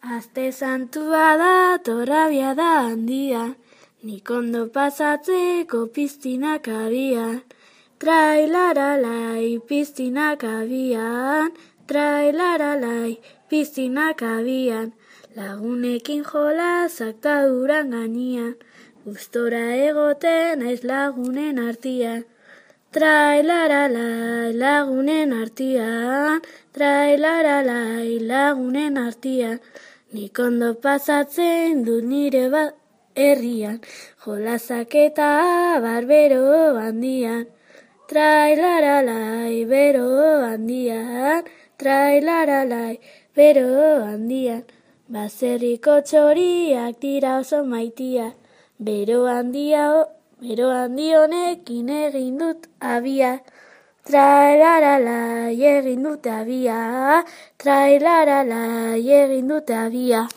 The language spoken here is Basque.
Aste santua da, torrabia da handia, nik ondo pasatzeko piztinak abian. Trailaralai, piztinak abian, trailaralai, piztinak abian. Lagunekin jolasak taduran gainean, gustora egoten naiz lagunen artian. Trailaralai, lagunen artian, trailaralai, lagunen artian. Nik ondo pasatzen dut nire herrian, jolasak eta abar bero handian. Trailaralai, bero handian, trailaralai, bero handian. Baserriko txoriak dira oso maitia, bero handi honekin egin dut abia. Trailaralai, egin dut abia, trailaralai, egin dut abia.